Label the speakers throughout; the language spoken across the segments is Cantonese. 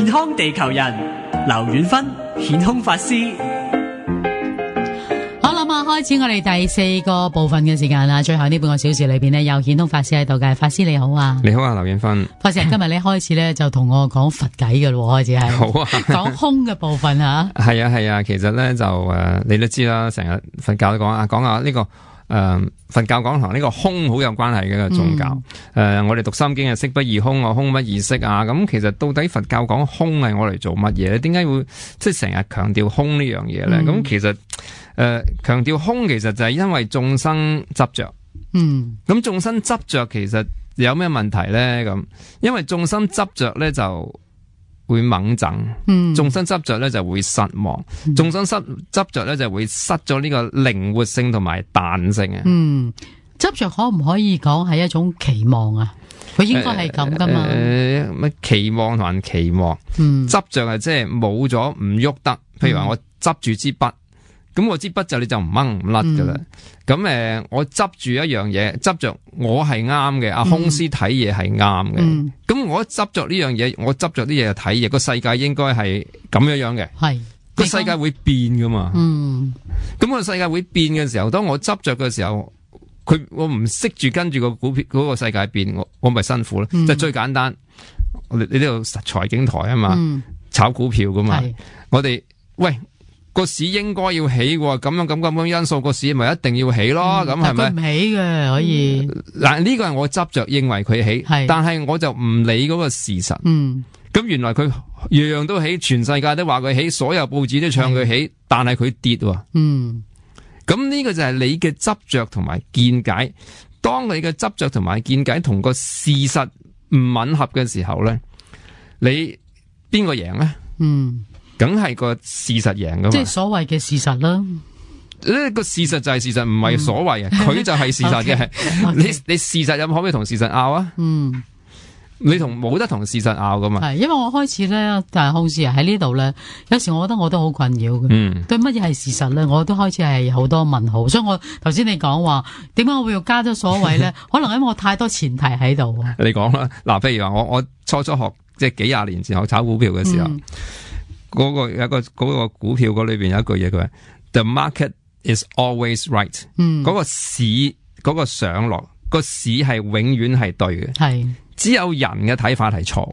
Speaker 1: 健康地球人，劉遠芬，顯空法師。
Speaker 2: 好啦，開始我哋第4個部分嘅時間啦。最後呢半個小時裏邊呢，有顯通法師喺度嘅。法師你好啊。
Speaker 3: 你好啊，劉遠芬。
Speaker 2: 法師今日你開始咧就同我講佛偈嘅咯，開始係。
Speaker 3: 好啊。
Speaker 2: 講空嘅部分吓。
Speaker 3: 係啊，其實咧就你都知啦，成日佛教都講下呢個佛教講同呢個空好有關係嘅一個宗教。我哋讀心經係色不異空啊，空不異色啊。咁其實到底佛教講空係我嚟做乜嘢咧？點解會即係成日強調空呢樣嘢咧？咁其實強調空其實就係因為眾生執着。咁眾生執着其實有咩問題咧？咁因為眾生執着咧就會猛憎，眾生執着咧就會失望，眾生執着咧就會失咗呢個靈活性同埋彈性啊。
Speaker 2: 執着可唔可以講係一種期望啊？佢應該係咁噶嘛？
Speaker 3: 乜期望同人期望，執着係即係冇咗唔喐得。譬如話我執住支筆，咁我支筆就你就唔掹唔甩噶啦。咁我執住一樣嘢，執着我係啱嘅，阿空師睇嘢係啱嘅。咁我執着呢樣嘢，我執着啲嘢就睇嘢，個世界應該係咁樣嘅。係個世界會變噶嘛？咁個世界會變嘅時候，當我執着嘅時候，我唔識住跟住個股票嗰個世界變，我咪辛苦咯。即係最簡單，你呢度財經台啊嘛，炒股票噶嘛，我哋喂。個市應該要起喎，咁因素個市咪一定要起咯，咁係咪？佢唔
Speaker 2: 起嘅可以。
Speaker 3: 嗱，呢個係我執着認為佢起，但係我就唔理嗰個事實。咁原來佢樣樣都起，全世界都話佢起，所有報紙都唱佢起，但係佢跌喎。咁呢個就係你嘅執着同埋見解。當你嘅執着同埋見解同個事實唔吻合嘅時候咧，你邊個贏咧？梗係個事實贏噶嘛，
Speaker 2: 即係所謂嘅事實啦。
Speaker 3: 呢個事實就係事實，唔係所謂啊，佢就係事實嘅。你事實有冇可唔可以同事實拗啊？你冇得同事實拗噶嘛？
Speaker 2: 係，因為我開始咧，但係好似喺呢度咧，有時我覺得我都好困擾嘅。對乜嘢係事實咧，我都開始係好多問號。所以我頭先你講話，點解我會要加咗所謂咧？可能因為我太多前提喺度。
Speaker 3: 你講啦，嗱，譬如話我初學即係幾廿年前學炒股票嘅時候。嗰個股票嗰裏邊有一句嘢，佢話 The market is always right。嗰個市嗰個上落個市係永遠係對嘅，係只有人嘅睇法係錯。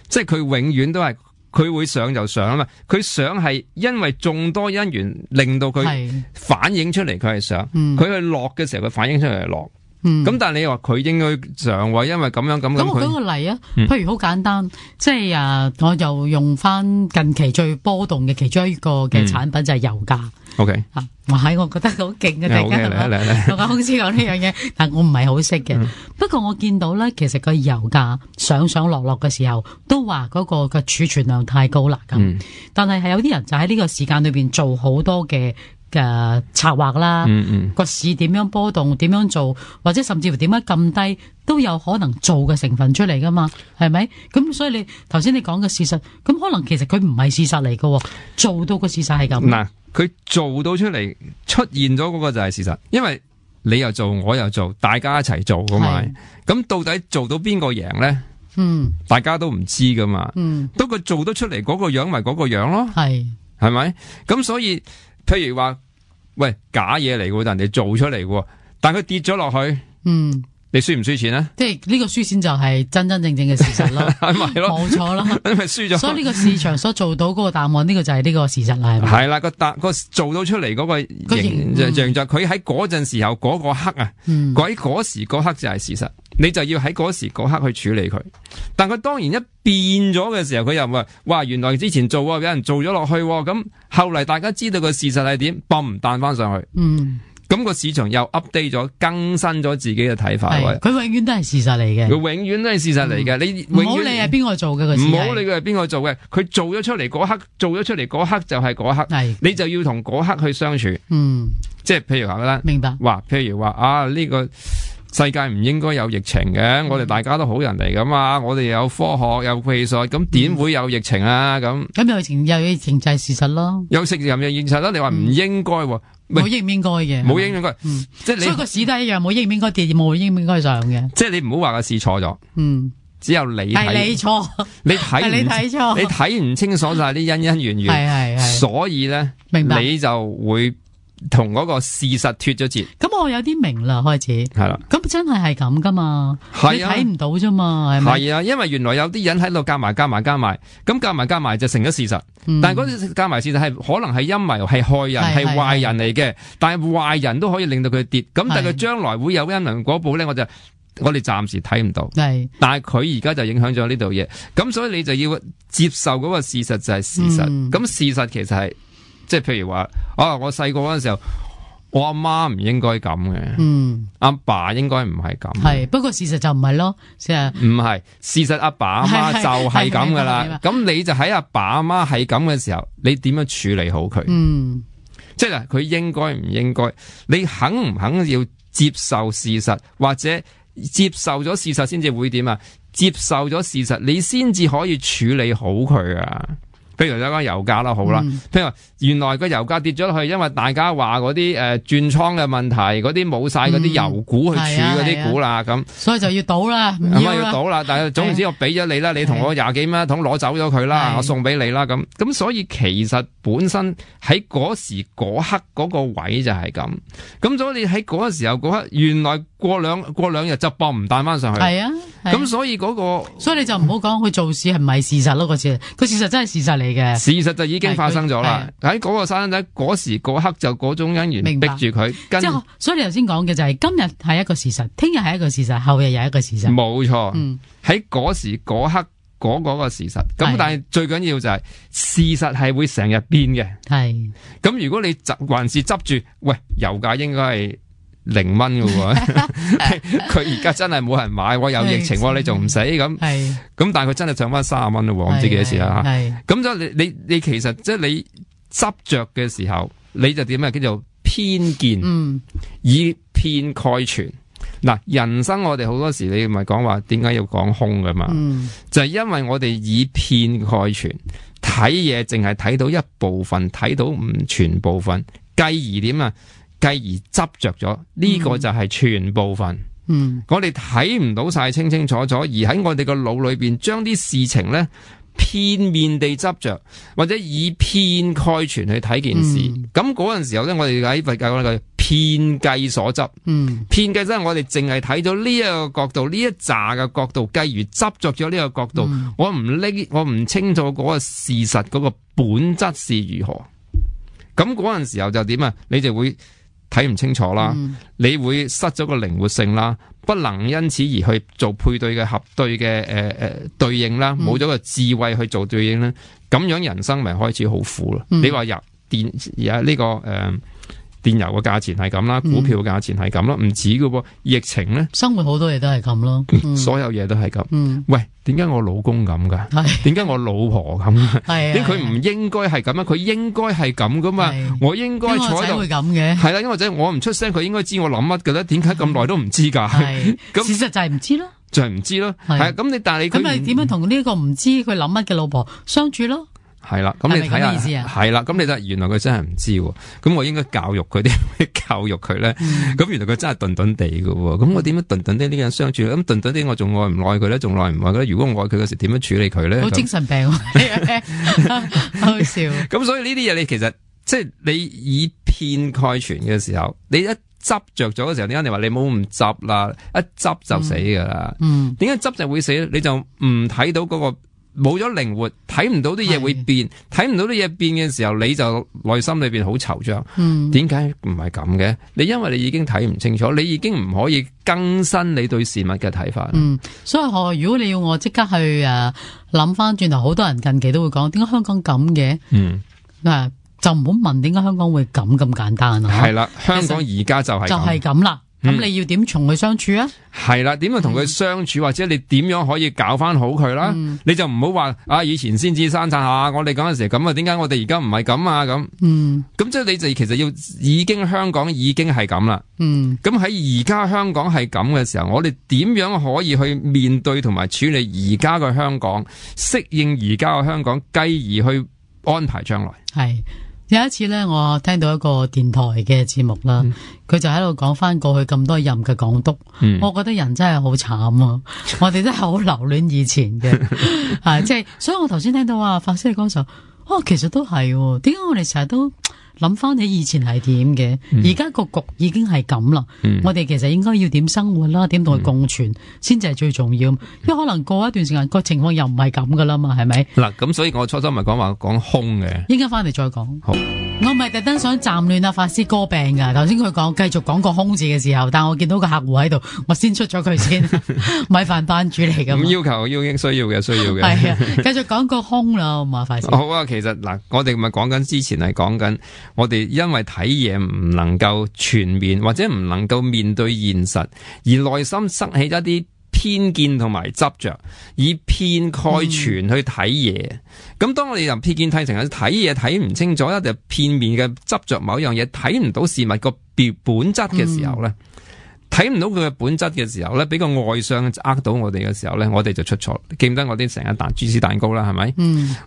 Speaker 3: 即係佢永遠都係佢會上就上啊嘛，佢上係因為眾多因緣令到佢反映出嚟，佢係上，佢去落嘅時候佢反映出嚟係落。咁但係你話佢應該上位，因為咁樣咁。咁我舉個例啊，譬如好簡單，即係我就用翻近期最波動嘅其中一個嘅產品就係油價。OK， 我覺得好勁嘅，大家同阿公司講呢樣嘢，但我唔係好識嘅。不過我見到咧，其實個油價上上落落嘅時候，都話嗰個嘅儲存量太高啦咁。但係有啲人就喺呢個時間裏邊做好多嘅策劃啦，個市點樣波動，點樣做，或者甚至乎點樣咁低，都有可能做嘅成分出嚟噶嘛，係咪？咁所以你頭先你講嘅事實，咁可能其實佢唔係事實嚟噶，做到個事實係咁。嗱，佢做到出嚟出現咗嗰個就係事實，因為你又做，我又做，大家一齊做噶嘛。咁到底做到邊個贏咧？大家都唔知噶嘛。不過做得出嚟嗰個樣咪嗰個樣咯，係咪？咁所以。譬如話，喂，假嘢嚟嘅，但人哋做出嚟嘅，但佢跌咗落去，你輸唔輸錢咧？即係呢個輸錢就係真真正正嘅事實咯，係咪咯？冇錯啦，你咪輸咗。所以呢個市場所做到嗰個答案，呢個就係呢個事實啦，係咪？係啦，個做到出嚟嗰個形象就佢喺嗰陣時候嗰個刻啊，嗰時嗰刻就係事實，你就要喺嗰時嗰刻去處理佢。但佢當然一變咗嘅時候，佢又話：哇，原來之前做有人做咗落去，咁後嚟大家知道個事實係點，嘣彈翻上去。咁個市場又 update 咗，更新咗自己嘅睇法。佢永遠都係事實嚟嘅，佢永遠都係事實嚟嘅。你唔好理係邊個做嘅，唔好理佢係邊個做嘅，佢做咗出嚟嗰刻，做咗出嚟嗰刻就係嗰刻，你就要同嗰刻去相處。即係譬如話啦，明白。話譬如話啊，呢個世界唔應該有疫情嘅，我哋大家都好人嚟噶嘛，我哋有科學有技術，咁點會有疫情啊？咁有疫情就係事實咯，有疫情又現實啦。你話唔應該，冇應唔應該嘅，冇應唔應該，即係你所以個市都係一樣，冇應唔應該跌，冇應唔應該上嘅。即係你唔好話個市錯咗，只有你
Speaker 2: 錯，
Speaker 3: 你睇錯，你睇唔清楚晒啲因因緣緣，所以咧，你就會同嗰個事實脫咗節。
Speaker 2: 咁我有啲明啦，開始
Speaker 3: 係啦。
Speaker 2: 咁真係咁噶嘛？你睇唔到啫嘛？係咪？
Speaker 3: 係啊，因為原來有啲人喺度夾埋，咁夾埋就成咗事實。但係嗰啲夾埋事實係可能係陰謀，係害人，係壞人嚟嘅。但係壞人都可以令到佢跌。咁但係佢將來會有因緣果報咧，我哋暫時睇唔到。係，但係佢而家就影響咗呢度嘢。咁所以你就要接受嗰個事實就係事實。咁事實其實係即係譬如話，我細個嗰陣時候，我阿媽唔應該咁嘅，阿爸應該唔係咁。係，
Speaker 2: 不過事實就唔係咯，
Speaker 3: 唔係事實，阿爸阿媽就係咁噶啦。咁你就喺阿爸阿媽係咁嘅時候，你點樣處理好佢？即係佢應該唔應該？你肯唔肯要接受事實，或者接受咗事實先至會點啊？接受咗事實，你先至可以處理好佢啊！譬如有講油價啦，好啦，譬如話原來個油價跌咗落去，因為大家話嗰啲轉倉嘅問題，嗰啲冇晒嗰啲油股去儲嗰啲股啦，咁
Speaker 2: 所以就要倒啦，
Speaker 3: 咁要倒啦。但係總之我俾咗你啦，你同我20幾蚊一桶攞走咗佢啦，我送俾你啦，咁所以其實本身喺嗰時嗰刻嗰個位就係咁，咁所以你喺嗰個時候嗰刻，原來過兩日就搏唔彈翻上去，係啊，咁所以嗰個，所以
Speaker 2: 你就唔好講佢做事係唔係事實咯，個事實真係事實嚟。
Speaker 3: 事實就已經發生咗啦，喺嗰個生仔嗰時嗰刻就嗰種因緣逼住佢，即係
Speaker 2: 所以你頭先講嘅就係今日係一個事實，聽日係一個事實，後日又係一個事實，
Speaker 3: 冇錯。喺嗰時嗰刻嗰個事實，咁但係最緊要就係事實係會成日變嘅，係。咁如果你還是執住，喂，油價應該係0蚊嘅，佢而家真係冇人買，有疫情，你仲唔死咁？咁但係佢真係上翻30蚊咯，我唔知幾多時啦。咁所以你其實即係你執着嘅時候，你就點啊？叫做偏見，以偏概全。嗱，人生我哋好多時你咪講話，點解要講空㗎嘛？就係因為我哋以偏概全，睇嘢淨係睇到一部分，睇到唔全部分，繼而點啊？繼而執着咗，呢個就係全部分。我哋睇唔到晒清清楚楚，而喺我哋個腦裏邊將啲事情咧片面地執着，或者以偏概全去睇件事。咁嗰陣時候咧，我哋喺佛教講嘅偏計所執。偏計即係我哋淨係睇到呢一個角度，呢一紮嘅角度，繼而執着咗呢個角度。我唔清楚嗰個事實嗰個本質是如何。咁嗰陣時候就點啊？你就會睇唔清楚啦，你會失咗個靈活性啦，不能因此而去做配對嘅合對嘅對應啦，冇咗個智慧去做對應啦，咁樣人生咪開始好苦咯。你話入電而呢個電油嘅價錢係咁啦，股票嘅價錢係咁咯，唔止噶噃，疫情咧，
Speaker 2: 生活好多嘢都係咁咯，
Speaker 3: 所有嘢都係咁。喂，點解我老公咁噶？點解我老婆咁？點解佢唔應該係咁啊？佢應該係咁噶嘛？我應該坐喺度會咁嘅。係啦，因為仔我唔出聲，佢應該知我諗乜噶咧？點解咁耐都唔知噶？
Speaker 2: 咁事實就係唔知咯，
Speaker 3: 就係唔知咯。係咁但係你
Speaker 2: 咁你點樣同呢個唔知佢諗乜嘅老婆相處咯？
Speaker 3: 係啦，咁你睇下，係啦，咁你睇，原來佢真係唔知，咁我應該教育佢啲教育佢咧，咁原來佢真係頓頓地嘅，咁我點樣頓頓啲呢個人相處？咁頓頓啲我仲愛唔愛佢咧？仲愛唔愛佢咧？如果我愛佢嘅時，點樣處理佢咧？
Speaker 2: 好精神病，好笑。
Speaker 3: 咁所以呢啲嘢，你其實即係你以偏概全嘅時候，你一執着咗嘅時候，點解你話你冇唔執啦？一執就死噶啦。點解執就會死咧？你就唔睇到嗰個。冇咗靈活，睇唔到啲嘢會變，睇唔到啲嘢變嘅時候，你就內心裏邊好惆悵。點解唔係咁嘅？你因為你已經睇唔清楚，你已經唔可以更新你對事物嘅睇法。
Speaker 2: 所以如果你要我即刻去諗翻轉頭，好多人近期都會講，點解香港咁嘅？就唔好問點解香港會咁簡單啊？
Speaker 3: 係啦，香港而家就係咁
Speaker 2: 啦。咁你要點同佢相處啊？
Speaker 3: 係啦，點樣同佢相處，或者你點樣可以搞翻好佢啦？你就唔好話以前先至生產下，我哋嗰陣時咁啊，點解我哋而家唔係咁啊？咁咁即係你就其實要香港已經係咁啦。咁喺而家香港係咁嘅時候，我哋點樣可以去面對同埋處理而家嘅香港，適應而家嘅香港，繼而去安排將來？係。
Speaker 2: 有一次咧，我聽到一個電台嘅節目啦，佢就喺度講翻過去咁多任嘅港督，我覺得人真係好慘啊！我哋真係好留戀以前嘅，係即係，所以我頭先聽到法師講時候，其實都係，點解我哋成日都諗翻起以前係點嘅？而家個局已經係咁啦，我哋其實應該要點生活啦，點同佢共存，先至係最重要。因為可能過一段時間個情況又唔係咁噶啦嘛，係咪？
Speaker 3: 嗱，咁所以我初初咪講空嘅，
Speaker 2: 應該翻嚟再講。
Speaker 3: 好，
Speaker 2: 我唔係特登想暫亂法師歌病噶。頭先佢講繼續講個空字嘅時候，但我見到個客戶喺度，我先出咗佢先。米飯班主嚟噶，
Speaker 3: 咁要求要應需要嘅，
Speaker 2: 係啊，繼續講個空啦，好嘛，法師。
Speaker 3: 好啊，其實嗱，我哋咪講緊之前係講緊。我哋因為睇嘢唔能夠全面，或者唔能夠面對現實，而內心塞起一啲偏見同埋執着，以偏概全去睇嘢。咁當我哋由偏見睇成睇嘢睇唔清楚，一定片面嘅執着某樣嘢，睇唔到事物個本質嘅時候咧。睇唔到佢嘅本質嘅時候咧，俾個外相呃到我哋嘅時候咧，我哋就出錯。記唔得我啲成日彈芝士蛋糕啦，係咪？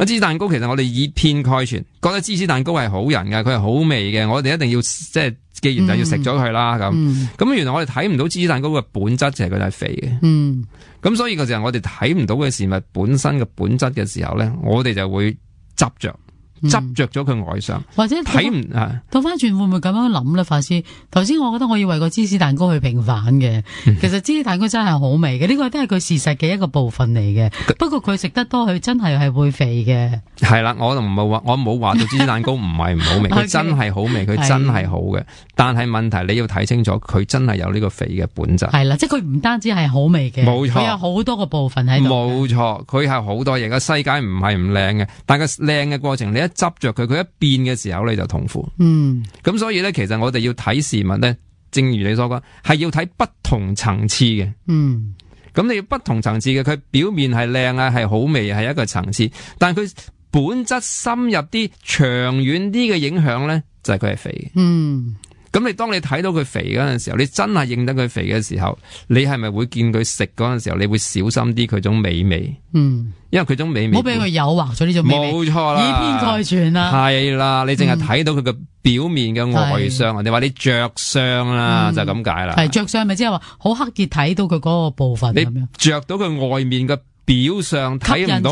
Speaker 3: 芝士蛋糕其實我哋以偏概全，覺得芝士蛋糕係好人㗎，佢係好味嘅，我哋一定要即係，既然就要食咗佢啦咁。原來我哋睇唔到芝士蛋糕嘅本質就係佢係肥嘅。咁所以個時候我哋睇唔到嘅事物本身嘅本質嘅時候咧，我哋就會執着咗佢外相，
Speaker 2: 或者
Speaker 3: 睇唔
Speaker 2: 倒翻轉會唔會咁樣諗咧？法師，頭先我覺得我要為個芝士蛋糕去平反嘅，其實芝士蛋糕真係好味嘅，呢個都係佢事實嘅一個部分嚟嘅。不過佢食得多，佢真係會肥嘅。係
Speaker 3: 啦，我冇話到芝士蛋糕唔係唔好味，佢真係好味，佢真係好嘅。但係問題你要睇清楚，佢真係有呢個肥嘅本質。
Speaker 2: 係啦，即係佢唔單止係好味嘅，冇錯，佢有好多個部分喺度。
Speaker 3: 冇錯，佢係好多嘢嘅。世界唔係唔靚嘅，但係靚嘅過程你執着佢一變嘅時候你就痛苦。咁所以咧，其實我哋要睇事物咧，正如你所講，係要睇不同層次嘅。咁你要不同層次嘅，佢表面係靚啊，係好味，係一個層次，但係佢本質深入啲、長遠啲嘅影響咧，就係佢係肥嘅。咁你當你睇到佢肥嗰陣時候，你真係認得佢肥嘅時候，你係咪會見佢食嗰陣時候，你會小心啲佢種美味？因為佢種美味，唔好俾佢誘惑咗呢種美味。冇錯啦，
Speaker 2: 以偏概全啦。
Speaker 3: 係啦，你淨係睇到佢嘅表面嘅外相，你話你着相啦，就咁解啦。
Speaker 2: 係着相咪即係話好刻意睇到佢嗰個部分咁樣。你
Speaker 3: 着到佢外面嘅表相，睇唔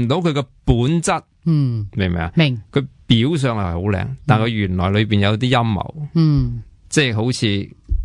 Speaker 3: 到佢嘅本質。明唔明啊？明。佢表上係好靚，但佢原來裏邊有啲陰謀。即係好似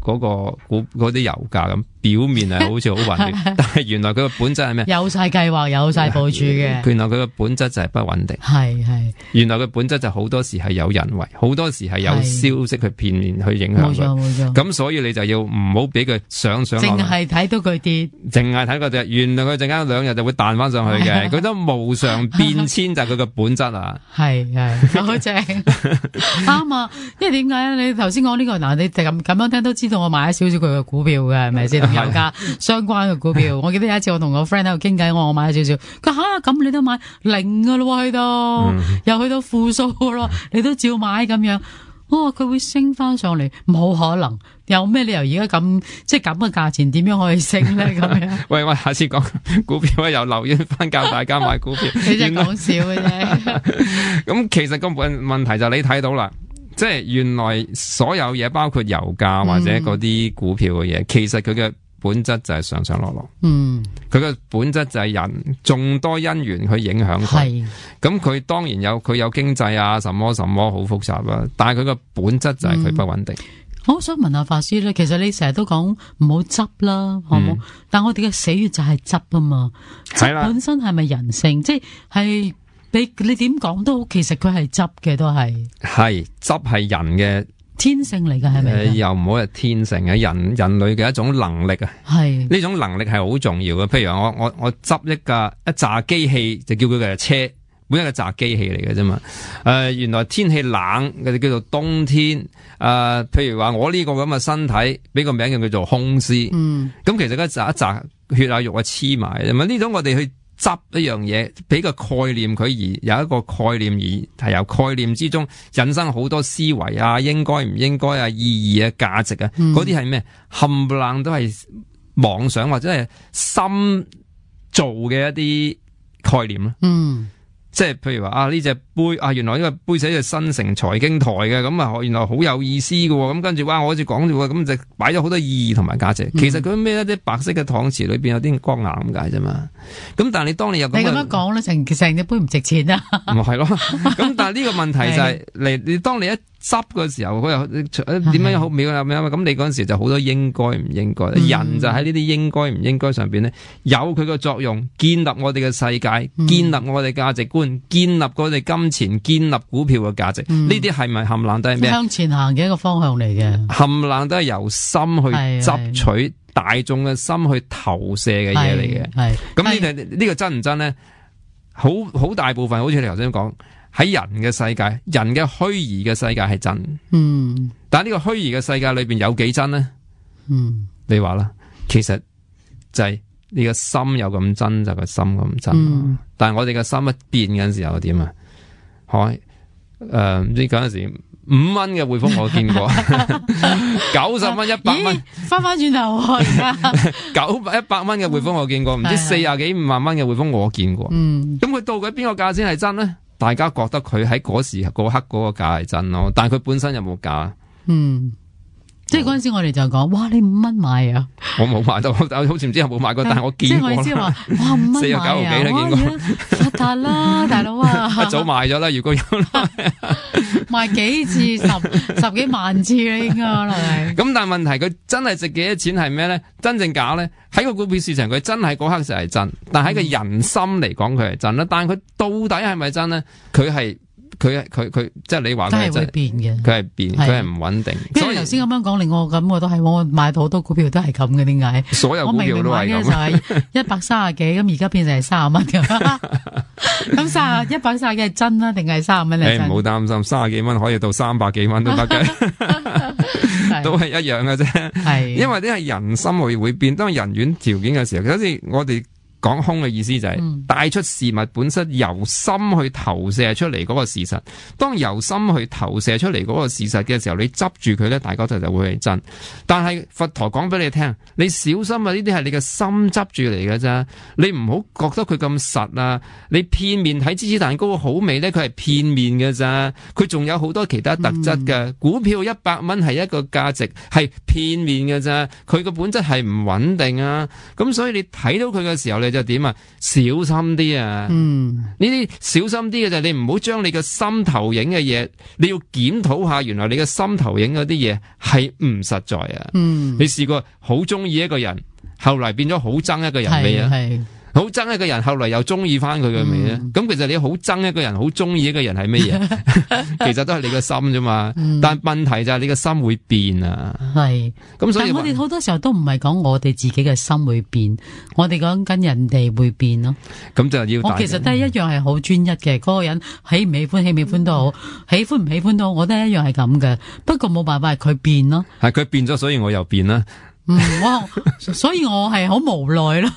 Speaker 3: 嗰啲油價咁，表面係好似好穩定，但係原來佢個本質係咩？有晒計劃，有晒部署嘅。原來佢個本質就係不穩定。係。原來佢本質就好多時係有人為，好多時係有消息去片面去影響佢。冇錯。咁所以你就要唔好俾佢上淨係睇到佢跌，淨係睇佢跌。原來佢陣間2日就會彈翻上去嘅。佢都無常變遷就係佢個本質啊。係好正，啱啊！因為點解咧？你頭先講呢個嗱，你咁樣聽都知道我買咗少少佢嘅股票嘅，係咪先？同油價相關嘅股票。我記得有一次我同個 friend 喺度傾偈，我買咗少少。佢吓咁你都買零噶咯，去到又去到負數咯，你都照買咁樣。佢會升翻上嚟，冇可能。有咩理由而家咁即係咁嘅價錢，點樣可以升咧？咁樣喂，我下次講股票又留意翻教大家買股票。你真係講笑嘅啫。咁其實個問題就你睇到啦。即係原來所有嘢，包括油價或者嗰啲股票嘅嘢，其實佢嘅本質就係上上落落。佢嘅本質就係人眾多因緣去影響佢。咁佢當然佢有經濟啊，什麼什麼好複雜啦。但係佢嘅本質就係佢不穩定。我想問下法師咧，其實你成日都講唔好執啦，好冇？但我哋嘅死穴就係執啊嘛。執本身係咪人性？即係。你點講都好，其實佢係執嘅，都係執係人嘅天性嚟㗎，係咪？又唔好係天性嘅，人類嘅一種能力啊。係呢種能力係好重要嘅。譬如我執一紮機器，就叫佢嘅車，本身係紮機器嚟嘅啫嘛。原來天氣冷嘅叫做冬天。譬如話我呢個咁嘅身體，俾個名叫做空屍。咁其實一紮血啊肉啊黐埋，咁呢種我哋去執一樣嘢，俾個概念佢，而有一個概念，而係由概念之中引申好多思維啊，應該唔應該啊，意義啊，價值啊，嗰啲係咩？冚唪唥都係妄想或者係心做嘅一啲概念啦。即係譬如話呢隻杯原來呢個杯寫住新城財經台嘅，咁原來好有意思嘅，咁跟住我好似講住咁就擺咗好多意義同埋價值。其實佢咩一啲白色嘅搪瓷裏邊有啲光岩咁解啫嘛。咁但係你當你有咁樣
Speaker 2: 講咧，成隻杯唔值錢啊。
Speaker 3: 唔係咯。咁但係呢個問題就係你當你一執嘅時候，佢又點樣好妙啊？咁你嗰陣時就好多應該唔應該，人就喺呢啲應該唔應該上邊咧，有佢個作用，建立我哋嘅世界，建立我哋價值觀，建立我哋金錢，建立股票嘅價值。呢啲係咪冚唪唥都係咩？
Speaker 2: 向前行嘅一個方向嚟嘅，
Speaker 3: 冚唪唥都係由心去執取大眾嘅心去投射嘅嘢嚟嘅。係咁呢個真唔真咧？好大部分好似你頭先講。喺人嘅世界，人嘅虛擬嘅世界係真，但係呢個虛擬嘅世界裏邊有幾真呢？你話啦，其實就係你個心有咁真，就個心咁真。但係我哋嘅心一變嘅時候點啊？唔知嗰陣時5蚊嘅匯豐我見過，90蚊、100蚊，
Speaker 2: 翻轉頭
Speaker 3: 100蚊嘅匯豐我見過，唔知40幾50萬蚊嘅匯豐我見過。咁佢到底邊個價先係真呢？大家覺得佢喺嗰時嗰刻嗰個價係真咯，但係佢本身有冇價？
Speaker 2: 即係嗰陣時我哋就講，哇！你5蚊買啊？
Speaker 3: 我冇買到，好似唔知有冇買過，但係我見過啦。即係我意思話，
Speaker 2: 哇！5蚊買啊！49幾啦，見過。發達啦，大佬啊！
Speaker 3: 一早賣咗啦，如果有
Speaker 2: 賣幾次十幾萬次啦，應該可能係。
Speaker 3: 咁但係問題佢真係值幾多錢係咩咧？真正假咧？喺個股票市場佢真係嗰刻就係真，但係喺個人心嚟講佢係真啦。但係佢到底係咪真咧？佢即係你話佢
Speaker 2: 係變嘅，
Speaker 3: 佢係變，佢係唔穩定。
Speaker 2: 所以頭先咁樣講，令我感覺都係我買到好多股票都係咁嘅，點解？
Speaker 3: 所有股票都係咁。
Speaker 2: 我明明買嘅就係130幾，咁而家變成係30蚊咁。咁130幾係真啦，定係30蚊嚟？
Speaker 3: 唔好擔心，30幾蚊可以到300幾蚊都得嘅，都係一樣嘅啫。係因為呢係人心會變，當人緣條件嘅時候，好似我哋。講空嘅意思就係帶出事物本身由心去投射出嚟嗰個事實。當由心去投射出嚟嗰個事實嘅時候，你執住佢咧，大家就會係真。但係佛陀講俾你聽，你小心啊！呢啲係你嘅心執住嚟嘅啫，你唔好覺得佢咁實啊！你片面睇芝士蛋糕好味咧，佢係片面嘅咋，佢仲有好多其他特質嘅。股票100蚊係一個價值，係片面嘅咋，佢個本質係唔穩定啊！咁所以你睇到佢嘅時候，你就點啊？小心啲啊！呢啲小心啲嘅就係你唔好將你嘅心投影嘅嘢，你要檢討下，原來你嘅心投影嗰啲嘢係唔實在啊！你試過好中意一個人，後來變咗好憎一個人未啊？好憎一個人，後來又中意翻佢嘅未啊？咁其實你好憎一個人，好中意一個人係乜嘢？其實都係你個心啫嘛。但問題就係你個心會變啊。係咁，所以
Speaker 2: 我哋好多時候都唔係講我哋自己嘅心會變，我哋講緊人哋會變咯。
Speaker 3: 咁就要
Speaker 2: 我其實都係一樣係好專一嘅，嗰個人喜唔喜歡，喜唔喜歡都好，喜歡唔喜歡都好，我都係一樣係咁嘅。不過冇辦法，係佢變咯。
Speaker 3: 係佢變咗，所以我又變啦。
Speaker 2: 所以我係好無奈啦，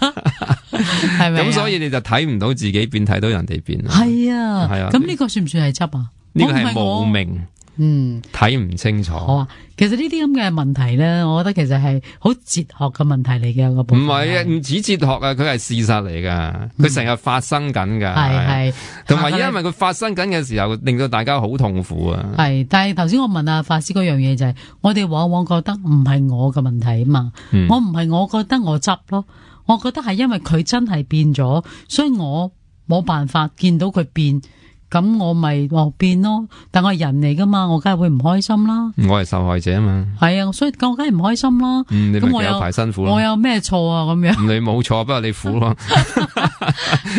Speaker 2: 係咪？
Speaker 3: 咁所以你就睇唔到自己變，睇到人哋變。
Speaker 2: 係啊，係啊。咁呢個算唔算係執啊？
Speaker 3: 呢個係無明，睇唔清楚。好啊，
Speaker 2: 其實呢啲咁嘅問題咧，我覺得其實係好哲學嘅問題嚟嘅。唔
Speaker 3: 係啊，唔止哲學啊，佢係事實嚟噶，佢成日發生緊噶。係，同埋因為佢發生緊嘅時候，令到大家好痛苦啊。係，
Speaker 2: 但係頭先我問阿法師嗰樣嘢就係，我哋往往覺得唔係我嘅問題啊嘛，我唔係我覺得我執咯，我覺得係因為佢真係變咗，所以我冇辦法見到佢變。咁我咪變咯，但我係人嚟噶嘛，我梗係會唔開心啦。
Speaker 3: 我係受害者啊嘛。係
Speaker 2: 啊，所以我梗係唔開心啦。
Speaker 3: 你咪有排辛苦咯。
Speaker 2: 我有咩錯啊？咁樣。
Speaker 3: 你冇錯，不過你苦咯。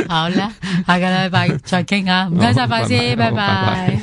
Speaker 2: 好啦，下個禮拜再傾啊！唔該晒，法師，拜拜。